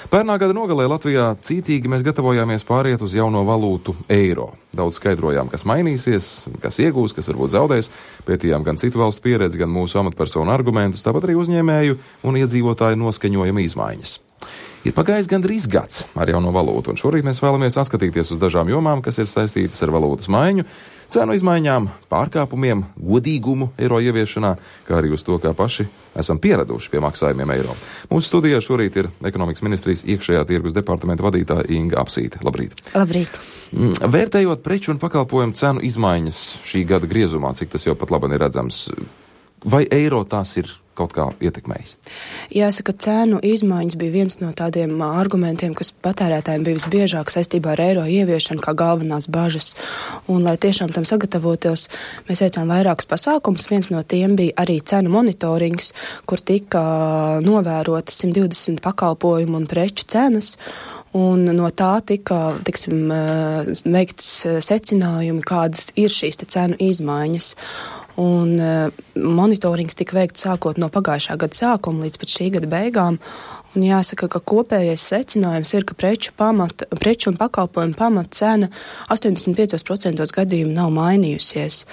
Pērnā gada nogalē Latvijā cītīgi mēs gatavojāmies pāriet uz jauno valūtu eiro. Daudz skaidrojām, kas mainīsies, kas iegūs, kas varbūt zaudēs. Pētījām gan citu valstu pieredzi, gan mūsu amatpersonu argumentus, tāpat arī uzņēmēju un iedzīvotāju noskaņojuma izmaiņas. Ir pagājis gandrīz gads ar jauno valūtu, un šorīt mēs vēlamies atskatīties uz dažām jomām, kas ir saistītas ar valūtas maiņu, cenu izmaiņām, pārkāpumiem, godīgumu eiro ieviešanā, kā arī uz to, kā paši esam pieraduši pie maksājumiem eiro. Mūsu studijā šorīt ir Ekonomikas ministrijas iekšējā tirgus departamenta vadītāja Inga Apsīte. Labrīt! Labrīt! Vērtējot preču un pakalpojumu cenu izmaiņas šī gada griezumā, cik tas jau pat labi ir redzams, vai eiro tās ir kaut kā ietekmējis? Jāsaka, cēnu izmaiņas bija viens no tādiem argumentiem, kas patērētājiem bija visbiežāk saistībā ar eiro ieviešanu kā galvenās bažas. Un, lai tiešām tam sagatavotos, mēs veicām vairākus pasākumus. Viens no tiem bija arī cenu monitorings, kur tika novērotas 120 pakalpojumu un preču cenas. Un no tā tika, veikts secinājumi, kādas ir šīs cenu izmaiņas. Un monitorings tika veikts sākot no pagājušā gada sākuma līdz pat šī gada beigām. Un jāsaka, ka kopējais secinājums ir, ka preču un pakalpojumu pamata cena 85% gadījumu nav mainījusies.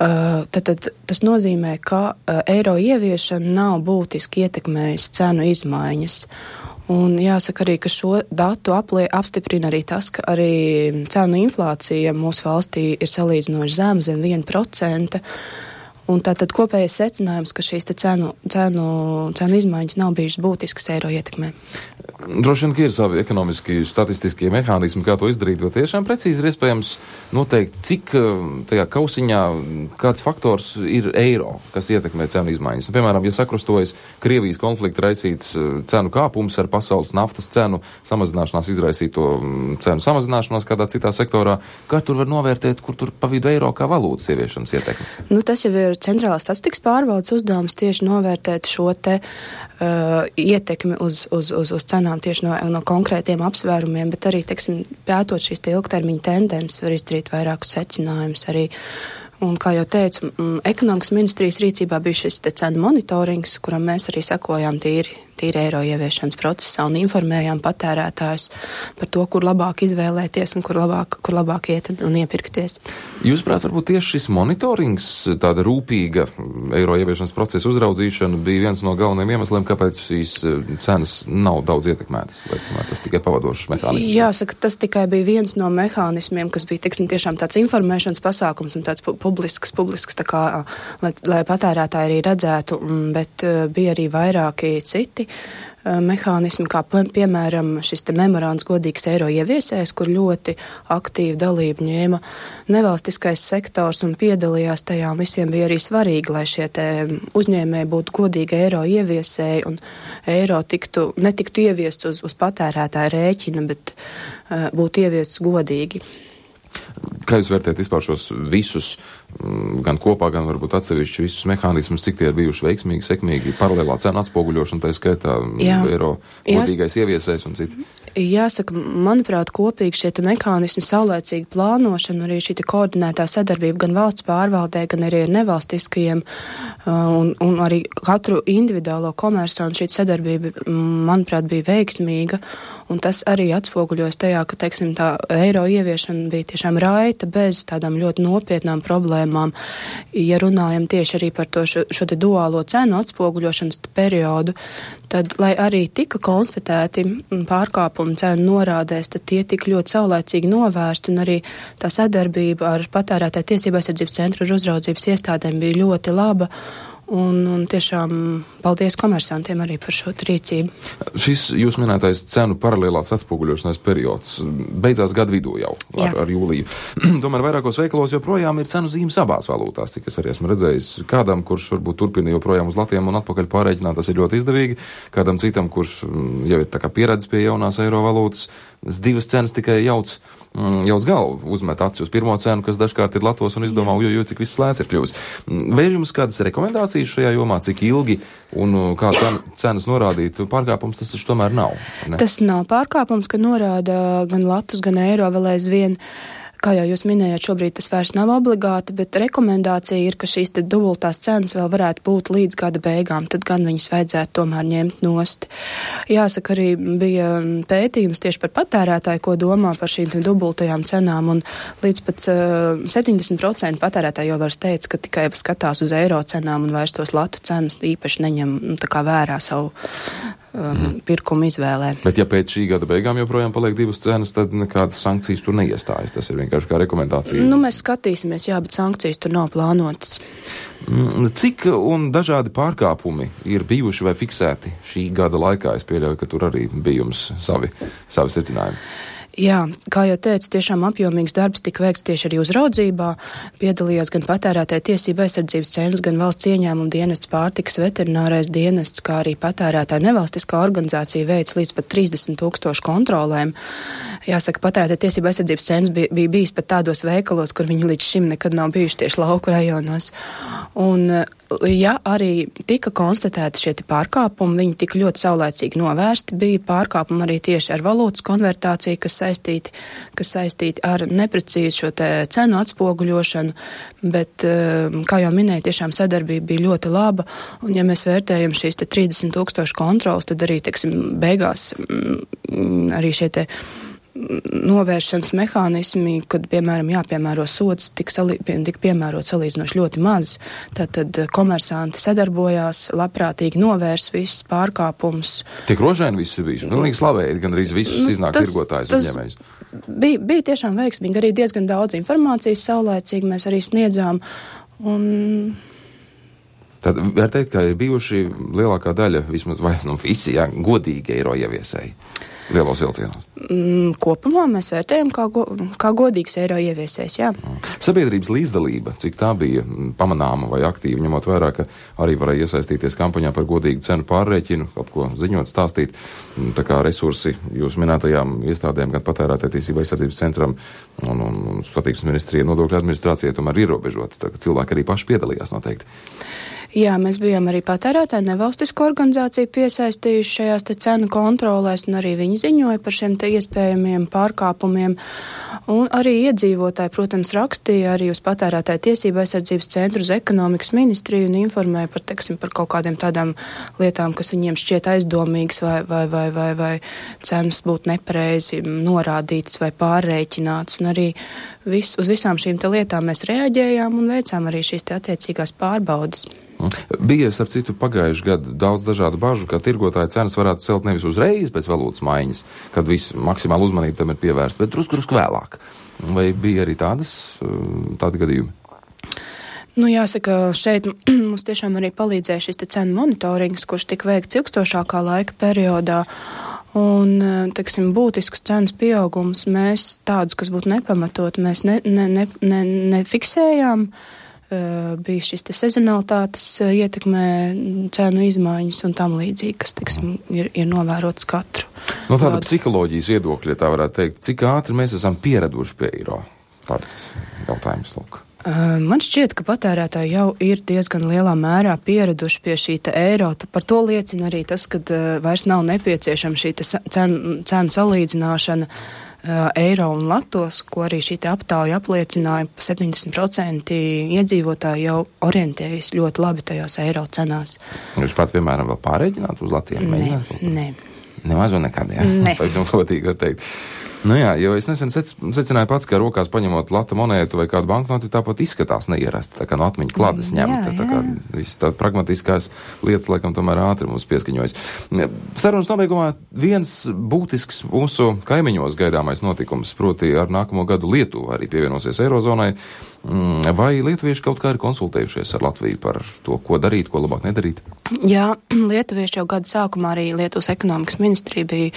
Tad tas nozīmē, ka eiro ieviešana nav būtiski ietekmējusi cenu izmaiņas. Un jāsaka arī, ka šo datu apstiprina arī tas, ka arī cenu inflācija mūsu valstī ir salīdzinoši zema, zem 1%. Un tātad kopējais secinājums, ka šīs cenu izmaiņas nav bijušas būtiskas eiro ietekmē. Droši vien, ka ir savi ekonomiski statistiskie mehānismi, kā to izdarīt, bet tiešām precīzi ir iespējams noteikt, cik tajā kausiņā kāds faktors ir eiro, kas ietekmē cenu izmaiņas. Piemēram, ja sakrustojas Krievijas konflikta raisīts cenu kāpums ar pasaules naftas cenu samazināšanās izraisīto cenu samazināšanos kādā citā sektorā, kā tur var novērtēt, kur tur pa vidu eiro kā valūtas ieviešanas ietekme? Tas jau ir centrālās statistikas pārvaldes uzdevums tieši novērtēt šo ietekmi uz cenām tieši no konkrētiem apsvērumiem, bet arī, pētot šīs ilgtermiņa tendences, var izdarīt vairākus secinājumus arī. Un, kā jau teicu, Ekonomikas ministrijas rīcībā bija šis cenu monitorings, kuram mēs arī sekojām tīri eiro ieviešanas procesā un informējām patērētājus par to, kur labāk izvēlēties un kur labāk iet un iepirkties. Jūsuprāt, varbūt tieši šis monitorings, tāda rūpīga eiro ieviešanas procesa uzraudzīšana bija viens no galvenajiem iemesliem, kāpēc šīs cenas nav daudz ietekmētas, vai tas tikai pavadošs mehānisms? Jāsaka, tas tikai bija viens no mehānismiem, kas bija, tiešām tāds informēšanas pasākums un tāds publisks tā kā, lai patērētāji arī redzētu, bet bija arī vairāki citi mehānismi, kā piemēram šis memorands godīgs eiro ieviesējs, kur ļoti aktīvu dalību ņēma nevalstiskais sektors un piedalījās tajā, un visiem bija arī svarīgi, lai šie uzņēmēji būtu godīgi eiro ieviesēji un eiro netiktu ieviests uz patērētāja rēķina, bet būtu ieviests godīgi. Kā jūs vērtējat vispār šos visus, gan kopā, gan varbūt atsevišķi visus mehānismus, cik tie ir bijuši veiksmīgi, sekmīgi, paralēlā cenu atspoguļošana, tā skaitā eiro godīgais ieviesējs un citi? Jāsaka, manuprāt, kopīgi šie mehānismi, saulēcīga plānošana, arī šī koordinētā sadarbība gan valsts pārvaldē, gan arī ar nevalstiskajiem un arī katru individuālo komersānu šī sadarbība, manuprāt, bija veiksmīga, un tas arī atspoguļojas tajā, ka, tā eiro ieviešana bija tiešām raita bez tādām ļoti nopietnām problēmām. Ja runājam tieši arī par to šo duālo cenu atspoguļošanas periodu, tad, lai arī tika konstatēti pārkāpumi cenu norādēs, tad tie tika ļoti saulēcīgi novērsti, un arī tā sadarbība ar patērētāju tiesību aizsardzības centru un uzraudzības iestādēm bija ļoti laba. Un tiešām paldies komersantiem arī par šo rīcību. Šis jūs minētais cenu paralēlās atspoguļošanās periods beidzās gadu vidū jau ar jūliju. Tomēr vairākos veikalos joprojām ir cenu zīmes abās valūtās, tik es arī esmu redzējis. Kādam, kurš varbūt turpina joprojām uz latiem un atpakaļ pārēķināt, tas ir ļoti izdevīgi. Kādam citam, kurš jau ir tā kā pieredzis pie jaunās eiro valūtas, divas cenas tikai jauc galvu, uzmet aci uz pirmo cenu, kas dažkārt ir latos un izdomā, cik viss lēts ir kļuvis. Vai ir jums kādas rekomendācijas šajā jomā, cik ilgi un kā cenas norādīt pārkāpums, tas taču tomēr nav? Ne? Tas nav pārkāpums, ka norāda gan latus, gan eiro vēl aizvien. kā jau jūs minējāt, šobrīd tas vairs nav obligāti, bet rekomendācija ir, ka šīs te dubultās cenas vēl varētu būt līdz gada beigām, tad gan viņus vajadzētu tomēr ņemt nost. Jāsaka, arī bija pētījums tieši par patērētāju, ko domā par šīm dubultajām cenām, un līdz pat 70% patērētāji jau vairs teica, ka tikai skatās uz eiro cenām un vairs tos latu cenas īpaši neņem tā kā vērā savu pirkumu izvēlē. Bet ja pēc šī gada beigām joprojām paliek divas cenas, tad nekādas sankcijas tur neiestājas. Tas ir vienkārši kā rekomendācija. Mēs skatīsimies, jā, bet sankcijas tur nav plānotas. Cik un dažādi pārkāpumi ir bijuši vai fiksēti šī gada laikā? Es pieļauju, ka tur arī bija jums savi secinājumi. Jā, kā jau teicu, tiešām apjomīgs darbs tika veikts tieši arī uzraudzībā. Piedalījās gan patērētāja tiesība aizsardzības centrs, gan valsts ieņēmuma dienests, pārtikas veterinārais dienests, kā arī patērētāja nevalstiskā organizācija veic līdz pat 30,000 kontrolēm. Jāsaka, patērētāja tiesība aizsardzības centrs bija bijis pat tādos veikalos, kur viņi līdz šim nekad nav bijuši tieši lauku rajonos. Un, ja arī tika konstatēti šie pārkāpumi, viņi tika ļoti saulēcīgi novērsti, bija pārkāpumi arī tieši ar valūtas konvertāciju, kas saistīti ar neprecīzu šo te cenu atspoguļošanu, bet, kā jau minēju, tiešām sadarbība bija ļoti laba, un ja mēs vērtējam šīs te 30,000 kontrolas, tad arī, teiksim, beigās arī šie te novēršanas mehānismi, kad, piemēram, jāpiemēro sods, tika piemērot salīdzinoši ļoti maz. Tātad komersanti sadarbojās, labprātīgi novērs visus pārkāpumus. Tik rožaini viss ir bijis. Pilnīgi slavēji, gandrīz visus iznāk tirgotājus uzņēmējus. Bija tiešām veiksmīgi, arī diezgan daudz informācijas saulēcīgi mēs arī sniedzām. Tad var teikt, ka ir bijuši lielākā daļa, vismaz vai visi, godīgi eiro ieviesēji. Lielos vilcienos. Kopumā mēs vērtējam kā godīgs eiro ieviesējs, jā. Sabiedrības līdzdalība, cik tā bija pamanāma vai aktīva, ņemot vērā, ka arī varēja iesaistīties kampaņā par godīgu cenu pārrēķinu, kaut ko ziņot, stāstīt, tā kā resursi jūs minētajām iestādēm, gan patērētāja tiesība aizsardzības centram un satiksmes ministrija, nodokļu administrācija tomēr ierobežota, tā ka cilvēki arī paši piedalījās noteikti. Jā, mēs bijām arī patērētāju nevalstisko organizāciju piesaistījuši šajās te cenu kontrolēs, un arī viņi ziņoja par šiem te iespējamiem pārkāpumiem. Un arī iedzīvotāji, protams, rakstīja arī uz patērētāju tiesību aizsardzības centru, uz ekonomikas ministriju un informēja par, teiksim, par kaut kādiem tādām lietām, kas viņiem šķiet aizdomīgas vai cenas būtu nepareizi norādītas vai pārrēķinātas. Un arī uz visām šīm te lietām mēs reaģējām un veicām arī šīs te attiecīgās pārbaudas. Bija, starp citu, pagājuši gadu daudz dažādu bažu, ka tirgotāja cenas varētu celt nevis uzreiz pēc valūtas maiņas, kad viss maksimāli uzmanība tam ir pievērsta, bet drusku vēlāk. Vai bija arī tādi gadījumi? Jāsaka, šeit mums tiešām arī palīdzēja šis te cenu monitorings, kurš tika veikts ilgstošākā laika periodā. Un, teiksim, būtiskus cenas pieaugums mēs tādus, kas būtu nepamatot, mēs nefiksējām. Bija šis te sezonalitātes ietekmē cenu izmaiņas un tam līdzīgi, kas, teiksim, ir novērots katru. No tāda psiholoģijas viedokļa, tā varētu teikt, cik ātri mēs esam pieraduši pie eiro? Tāds jautājums, lūk. Man šķiet, ka patērētāji jau ir diezgan lielā mērā pieraduši pie šī te eiro. Par to liecina arī tas, ka vairs nav nepieciešama šī te cenu salīdzināšana eiro un latos, ko arī šī te aptauja apliecināja, 70% iedzīvotāji jau orientējas ļoti labi tajos eiro cenās. Jūs pat, piemēram, vēl pārēķināt uz latiem? Nē. Nemaz un nekad, jā? Nē. Pavisam godīgi var teikt. Jā, jo es nesen secināju pats, ka rokās paņemot lata monētu vai kādu banknoti, tāpat izskatās neierasti, tā kā no atmiņa klādes ņemta, tā kā viss tā pragmatiskās lietas, laikam, tomēr ātri mums pieskaņojas. Sarunas nobeigumā viens būtisks mūsu kaimiņos gaidāmais notikums, proti ar nākamo gadu Lietuva arī pievienosies Eirozonai. Vai lietuvieši kaut kā ir konsultējušies ar Latviju par to, ko darīt, ko labāk nedarīt? Jā, lietuvieši jau gada sākumā arī Lietuvas ekonomikas ministrija bija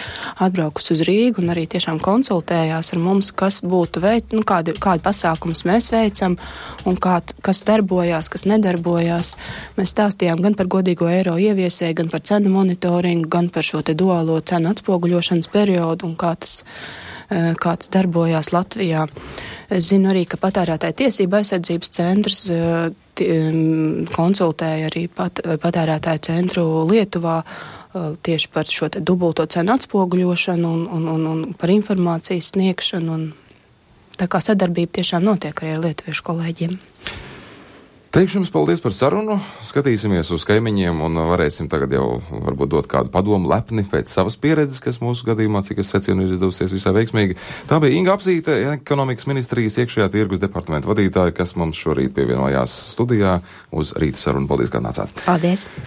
atbraukusi uz Rīgu un arī tiešām konsultējās ar mums, kas būtu kādi pasākums mēs veicam un kas darbojās, kas nedarbojās. Mēs stāstījām gan par godīgo eiro ieviesēju, gan par cenu monitoringu, gan par šo te duālo cenu atspoguļošanas periodu un kā tas darbojās Latvijā. Es zinu arī, ka patērētāja tiesība aizsardzības centrs konsultēja arī patērētāja centru Lietuvā tieši par šo te dubulto cenu atspoguļošanu un par informācijas sniegšanu. Tā kā sadarbība tiešām notiek arī ar lietuviešu kolēģiem. Teikšu jums paldies par sarunu, skatīsimies uz kaimiņiem un varēsim tagad jau varbūt dot kādu padomu lepni pēc savas pieredzes, kas mūsu gadījumā, cik es secinu, ir izdevusies visai veiksmīgi. Tā bija Inga Apzīte, ekonomikas ministrijas iekšējā tirgus departamenta vadītāja, kas mums šorīt pievienojās studijā uz rīta sarunu. Paldies, ka nācāt. Paldies!